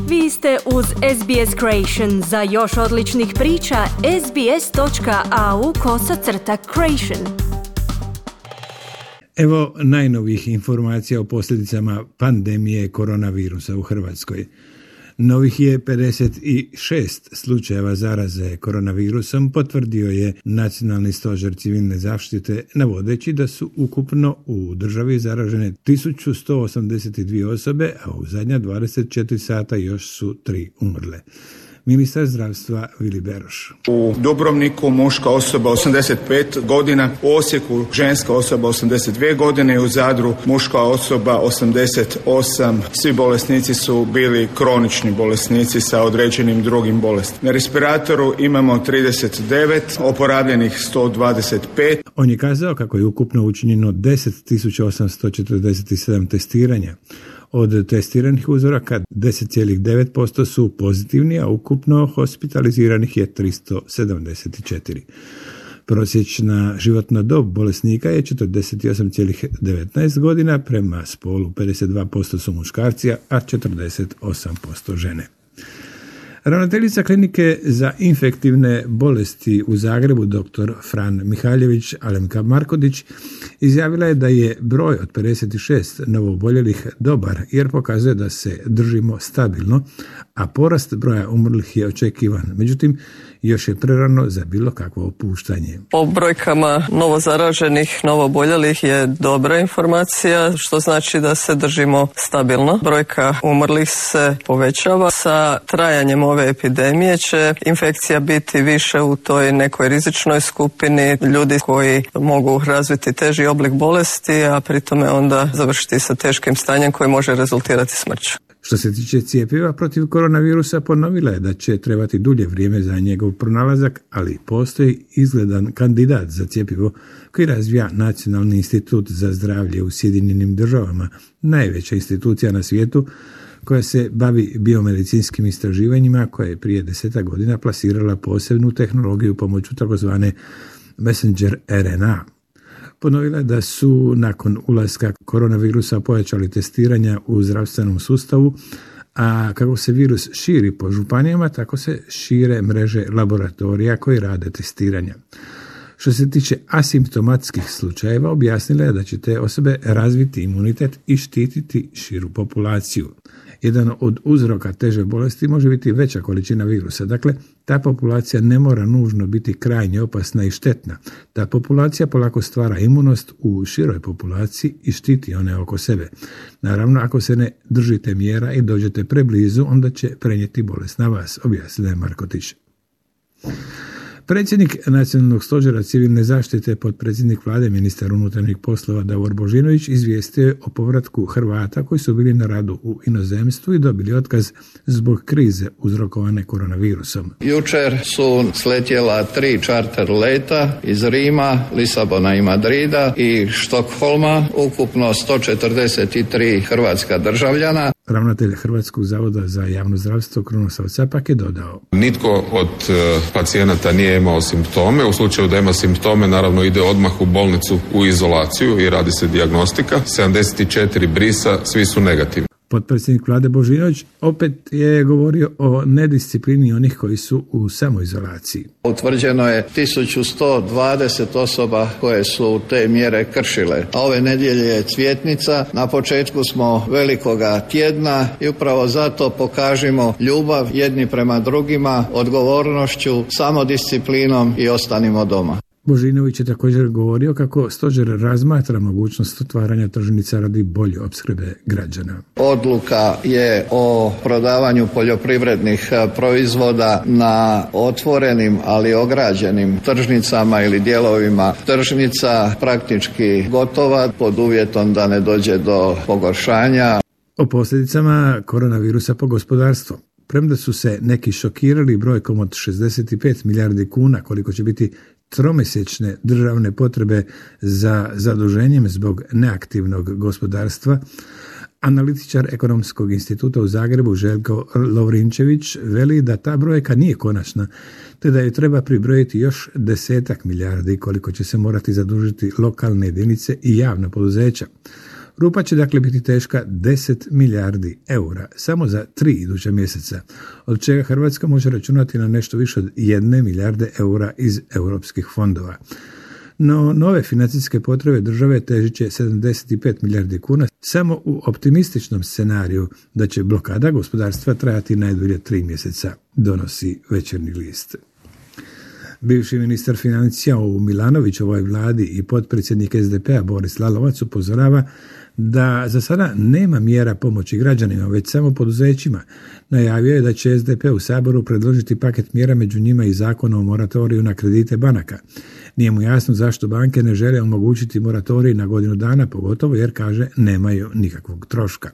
Vi ste uz SBS Creation. Za još odličnih priča, sbs.au/creation. Evo najnovijih informacija o posljedicama pandemije koronavirusa u Hrvatskoj. Novih je 56 slučajeva zaraze koronavirusom, potvrdio je Nacionalni stožer civilne zaštite, navodeći da su ukupno u državi zaražene 1182 osobe, a u zadnja 24 sata još su 3 umrle. Ministar zdravstva Vili Beroš. U Dubrovniku muška osoba 85 godina, u Osijeku ženska osoba 82 godine i u Zadru muška osoba 88. Svi bolesnici su bili kronični bolesnici sa određenim drugim bolestima. Na respiratoru imamo 39, oporavljenih 125. On je kazao kako je ukupno učinjeno 10.847 testiranja. Od testiranih uzoraka 10,9% su pozitivni, a ukupno hospitaliziranih je 374. Prosječna životna dob bolesnika je 48,19 godina, prema spolu 52% su muškarci, a 48% žene. Ravnateljica klinike za infektivne bolesti u Zagrebu, dr. Fran Mihaljević Alemka Markodić, izjavila je da je broj od 56 novooboljelih dobar jer pokazuje da se držimo stabilno, a porast broja umrlih je očekivan. Međutim, još je prerano za bilo kakvo opuštanje. Po brojkama novozaraženih, novooboljelih je dobra informacija, što znači da se držimo stabilno. Brojka umrlih se povećava. Sa trajanjem ove epidemije će infekcija biti više u toj nekoj rizičnoj skupini, ljudi koji mogu razviti teži oblik bolesti, a pri tome onda završiti sa teškim stanjem koji može rezultirati smrću. Što se tiče cjepiva protiv koronavirusa, ponovila je da će trebati dulje vrijeme za njegov pronalazak, ali postoji izgledan kandidat za cjepivo koji razvija Nacionalni institut za zdravlje u Sjedinjenim Državama, najveća institucija na svijetu koja se bavi biomedicinskim istraživanjima, koja je prije 10 godina plasirala posebnu tehnologiju pomoću takozvane messenger RNA. Ponovila je da su nakon ulaska koronavirusa pojačali testiranja u zdravstvenom sustavu, a kako se virus širi po županijama, tako se šire mreže laboratorija koji rade testiranja. Što se tiče asimptomatskih slučajeva, objasnila je da će te osobe razviti imunitet i štititi širu populaciju. Jedan od uzroka teže bolesti može biti veća količina virusa. Dakle, ta populacija ne mora nužno biti krajnje opasna i štetna. Ta populacija polako stvara imunost u široj populaciji i štiti one oko sebe. Naravno, ako se ne držite mjera i dođete preblizu, onda će prenijeti bolest na vas, objasnila je Markotić. Predsjednik Nacionalnog stožera civilne zaštite, potpredsjednik vlade, ministar unutarnjih poslova Davor Božinović izvijestio je o povratku Hrvata koji su bili na radu u inozemstvu i dobili otkaz zbog krize uzrokovane koronavirusom. Jučer su sletjela 3 čarter leta iz Rima, Lisabona i Madrida i Štokholma, ukupno 143 hrvatska državljana. Ravnatelj Hrvatskog zavoda za javno zdravstvo Krunoslav Capak je dodao: Nitko od pacijenata nije imao simptome. U slučaju da ima simptome, naravno ide odmah u bolnicu u izolaciju i radi se dijagnostika. 74 brisa, svi su negativni. Potpredsjednik vlade Božinović opet je govorio o nedisciplini onih koji su u samoizolaciji. Utvrđeno je 1120 osoba koje su te mjere kršile. A ove nedjelje je Cvjetnica. Na početku smo velikoga tjedna i upravo zato pokažimo ljubav jedni prema drugima, odgovornošću, samodisciplinom i ostanimo doma. Božinović je također govorio kako stožer razmatra mogućnost otvaranja tržnica radi bolje opskrbe građana. Odluka je o prodavanju poljoprivrednih proizvoda na otvorenim, ali ograđenim tržnicama ili dijelovima tržnica praktički gotova pod uvjetom da ne dođe do pogoršanja. O posljedicama koronavirusa po gospodarstvo. Premda su se neki šokirali brojkom od 65 milijardi kuna koliko će biti tromjesečne državne potrebe za zaduženjem zbog neaktivnog gospodarstva, analitičar Ekonomskog instituta u Zagrebu Željko Lovrinčević veli da ta brojka nije konačna, te da je treba pribrojiti još 10 milijardi koliko će se morati zadužiti lokalne jedinice i javna poduzeća. Rupa će dakle biti teška 10 milijardi eura samo za 3 iduća mjeseca, od čega Hrvatska može računati na nešto više od 1 milijarde eura iz europskih fondova. No, nove financijske potrebe države težit će 75 milijardi kuna samo u optimističnom scenariju da će blokada gospodarstva trajati najdulje 3 mjeseca, donosi Večernji list. Bivši ministar financija u Milanovićevoj vladi i potpredsjednik SDP-a Boris Lalovac upozorava da za sada nema mjera pomoći građanima, već samo poduzećima. Najavio je da će SDP u Saboru predložiti paket mjera, među njima i zakon o moratoriju na kredite banaka. Nije mu jasno zašto banke ne žele omogućiti moratorij na godinu dana, pogotovo jer, kaže, nemaju nikakvog troška.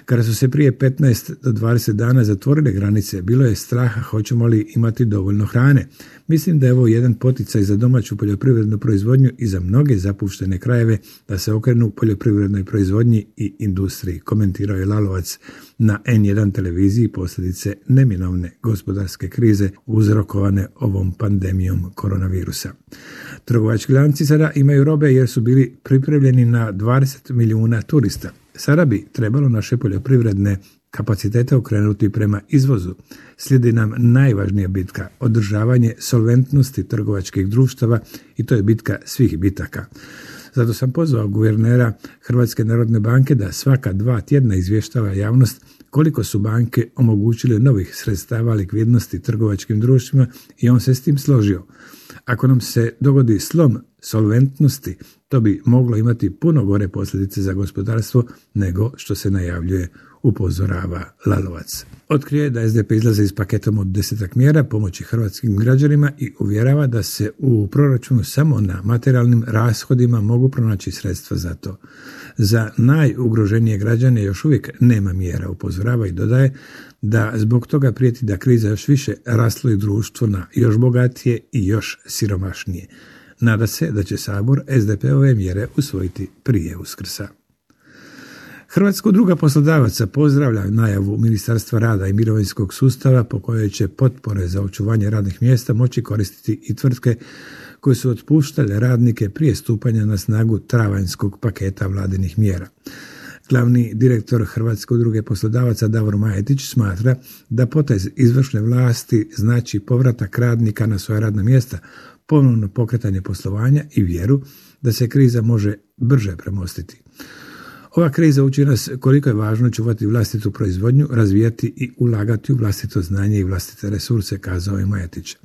Kada su se prije 15 do 20 dana zatvorile granice, bilo je straha hoćemo li imati dovoljno hrane. Mislim da je ovo jedan poticaj za domaću poljoprivrednu proizvodnju i za mnoge zapuštene krajeve da se okrenu poljoprivrednoj proizvodnji i industriji, komentirao je Lalovac na N1 televiziji posljedice neminovne gospodarske krize uzrokovane ovom pandemijom koronavirusa. Trgovački lanci sada imaju robe jer su bili pripremljeni na 20 milijuna turista. Sada bi trebalo naše poljoprivredne kapacitete okrenuti prema izvozu. Slijedi nam najvažnija bitka, održavanje solventnosti trgovačkih društava i to je bitka svih bitaka. Zato sam pozvao guvernera Hrvatske narodne banke da svaka 2 tjedna izvještava javnost koliko su banke omogućile novih sredstava likvidnosti trgovačkim društvima i on se s tim složio. Ako nam se dogodi slom solventnosti, to bi moglo imati puno gore posljedice za gospodarstvo nego što se najavljuje, upozorava Lalovac. Otkrije da SDP izlaze iz paketom od 10 mjera pomoći hrvatskim građanima i uvjerava da se u proračunu samo na materijalnim rashodima mogu pronaći sredstva za to. Za najugroženije građane još uvijek nema mjera, upozorava i dodaje da zbog toga prijeti da kriza još više rasloi društvo na još bogatije i još siromašnije. Nada se da će Sabor SDP-ove mjere usvojiti prije Uskrsa. Hrvatska udruga poslodavaca pozdravlja najavu Ministarstva rada i mirovinskog sustava po kojoj će potpore za očuvanje radnih mjesta moći koristiti i tvrtke koje su otpuštale radnike prije stupanja na snagu travanjskog paketa vladinih mjera. Glavni direktor Hrvatske udruge poslodavaca Davor Majetić smatra da potez izvršne vlasti znači povratak radnika na svoja radna mjesta, ponovno pokretanje poslovanja i vjeru da se kriza može brže premostiti. Ova kriza uči nas koliko je važno čuvati vlastitu proizvodnju, razvijati i ulagati u vlastito znanje i vlastite resurse, kazao je Majetić.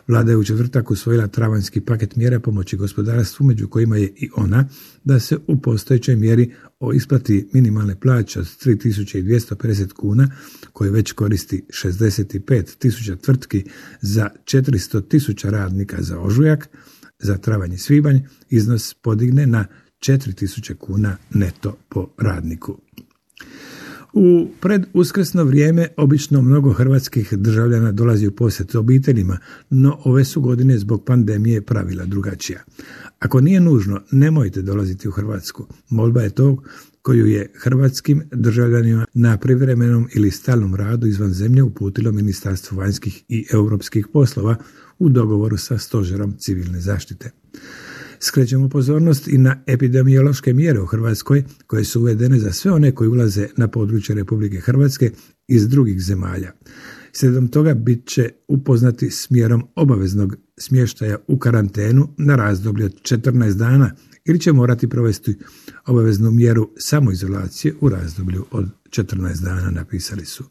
Vlada je u četvrtak usvojila travanjski paket mjera pomoći gospodarstvu, među kojima je i ona da se u postojećoj mjeri o isplati minimalne plaće od 3.250 kuna, koje već koristi 65.000 tvrtki za 400.000 radnika za ožujak, za travanj i svibanj iznos podigne na 4.000 kuna neto po radniku. U preduskrsno vrijeme obično mnogo hrvatskih državljana dolazi u posjet obiteljima, no ove su godine zbog pandemije pravila drugačija. Ako nije nužno, nemojte dolaziti u Hrvatsku. Molba je to koju je hrvatskim državljanima na privremenom ili stalnom radu izvan zemlje uputilo Ministarstvo vanjskih i europskih poslova u dogovoru sa Stožerom civilne zaštite. Skrećemo pozornost i na epidemiološke mjere u Hrvatskoj koje su uvedene za sve one koji ulaze na područje Republike Hrvatske iz drugih zemalja. Slijedom toga bit će upoznati s mjerom obaveznog smještaja u karantenu na razdoblje od 14 dana ili će morati provesti obaveznu mjeru samoizolacije u razdoblju od 14 dana, napisali su.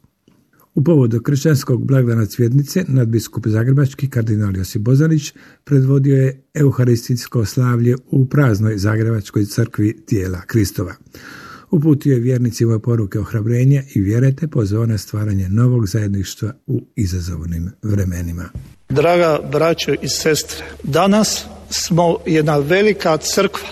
U povodu kršćanskog blagdana Cvjetnice nadbiskup zagrebački kardinal Josip Bozanić predvodio je euharistijsko slavlje u praznoj zagrebačkoj crkvi tijela Kristova. Uputio je vjernicima poruke ohrabrenja i vjere te pozvao na stvaranje novog zajedništva u izazovnim vremenima. Draga braćo i sestre, danas smo jedna velika crkva,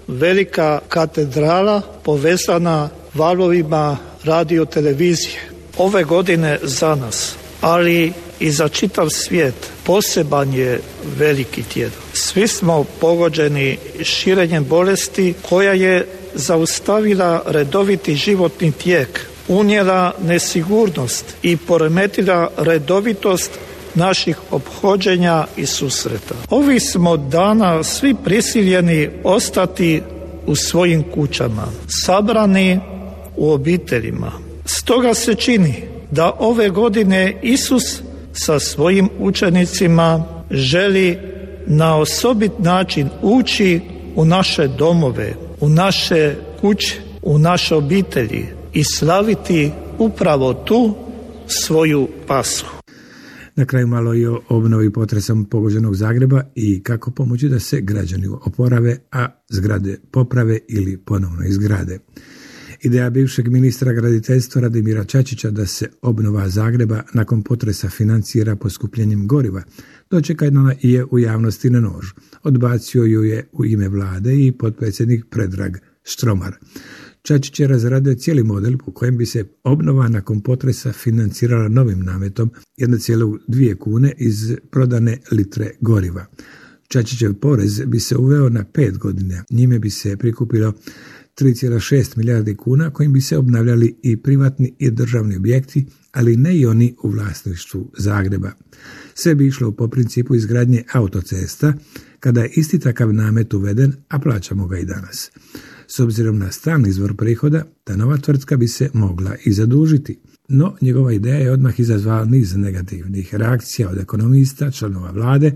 velika katedrala povezana valovima radio televizije. Ove godine za nas, ali i za čitav svijet, poseban je veliki tjedan. Svi smo pogođeni širenjem bolesti koja je zaustavila redoviti životni tijek, unijela nesigurnost i poremetila redovitost naših ophođenja i susreta. Ovih smo dana svi prisiljeni ostati u svojim kućama, sabrani u obiteljima. Stoga se čini da ove godine Isus sa svojim učenicima želi na osobit način ući u naše domove, u naše kuće, u naše obitelji i slaviti upravo tu svoju Pashu. Na kraju malo i o obnovi potresom pogođenog Zagreba i kako pomoći da se građani oporave, a zgrade poprave ili ponovno izgrade. Ideja bivšeg ministra graditeljstva Radimira Čačića da se obnova Zagreba nakon potresa financira poskupljenjem goriva dočekana je u javnosti na nož. Odbacio ju je u ime vlade i potpredsjednik Predrag Štromar. Čačić je razradio cijeli model po kojem bi se obnova nakon potresa financirala novim nametom 1,2 kune iz prodane litre goriva. Čačićev porez bi se uveo na 5 godina. Njime bi se prikupilo 3,6 milijardi kuna kojim bi se obnavljali i privatni i državni objekti, ali ne i oni u vlasništvu Zagreba. Sve bi išlo po principu izgradnje autocesta, kada je isti takav namet uveden, a plaćamo ga i danas. S obzirom na stalni izvor prihoda, ta nova tvrtka bi se mogla i zadužiti. No, njegova ideja je odmah izazvala niz negativnih reakcija od ekonomista, članova vlade,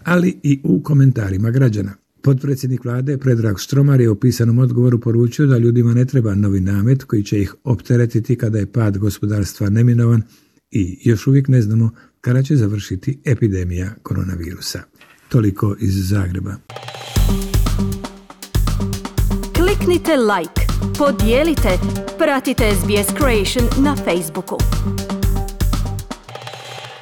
ali i u komentarima građana. Potpredsjednik vlade Predrag Štromar je u pisanom odgovoru poručio da ljudima ne treba novi namet koji će ih opteretiti kada je pad gospodarstva neminovan i još uvijek ne znamo kada će završiti epidemija koronavirusa. Toliko iz Zagreba. Kliknite like, podijelite, pratite SBS Creation na Facebooku.